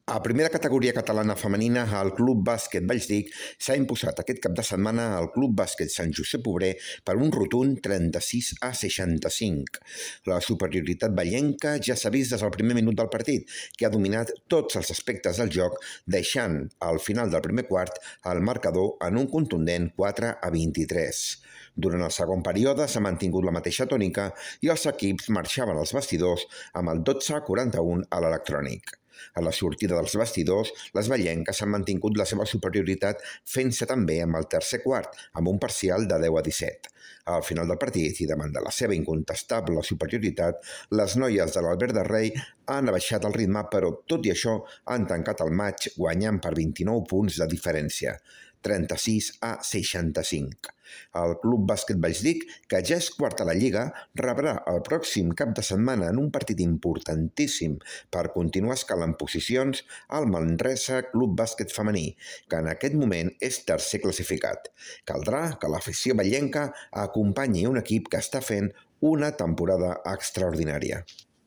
A primera categoria catalana femenina, el Club Bàsquet Vallsdic s'ha imposat aquest cap de setmana al Club Bàsquet Sant Josep Obrer per un rotund 36-65. La superioritat vallenca ja s'ha vist des del primer minut del partit, que ha dominat tots els aspectes del joc, deixant al final del primer quart el marcador en un contundent 4-23. Durant el segon període s'ha mantingut la mateixa tònica i els equips marxaven als vestidors amb el 12-41 a l'electrònic. A la sortida dels vestidors, les vallenques han mantingut la seva superioritat fent-se també amb el tercer quart, amb un parcial de 10-17. Al final del partit, i davant de la seva incontestable superioritat, les noies de l'Albert de Rei han abaixat el ritme, però tot i això han tancat el maig guanyant per 29 punts de diferència, 36-65. El Club Bàsquet Vallsdic, que ja és quart a la Lliga, rebrà el pròxim cap de setmana en un partit importantíssim per continuar escalant posicions al Manresa Club Bàsquet Femení, que en aquest moment és tercer classificat. Caldrà que l'afició vallenca acompanyi un equip que està fent una temporada extraordinària.